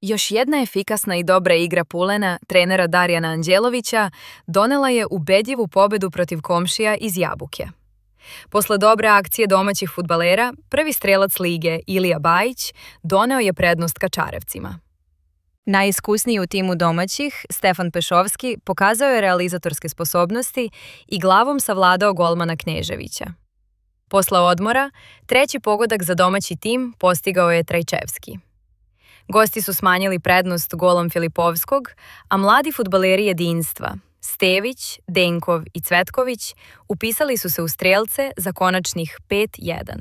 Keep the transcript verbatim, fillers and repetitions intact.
Još jedna efikasna i dobra igra Pulena, trenera Darijana Anđelovića, donela je ubedljivu pobedu protiv komšija iz Jabuke. Posle dobre akcije domaćih fudbalera, prvi strelac lige, Ilija Bajić, doneo je prednost Kačarevcima. Najiskusniji u timu domaćih, Stefan Pešovski, pokazao je realizatorske sposobnosti i glavom savladao golmana Kneževića. Posle odmora, treći pogodak za domaći tim postigao je Trajčevski. Gosti su smanjili prednost golom Filipovskog, a mladi fudbaleri jedinstva, Stević, Denkov i Cvetković, upisali su se u strelce za konačnih pet jedan.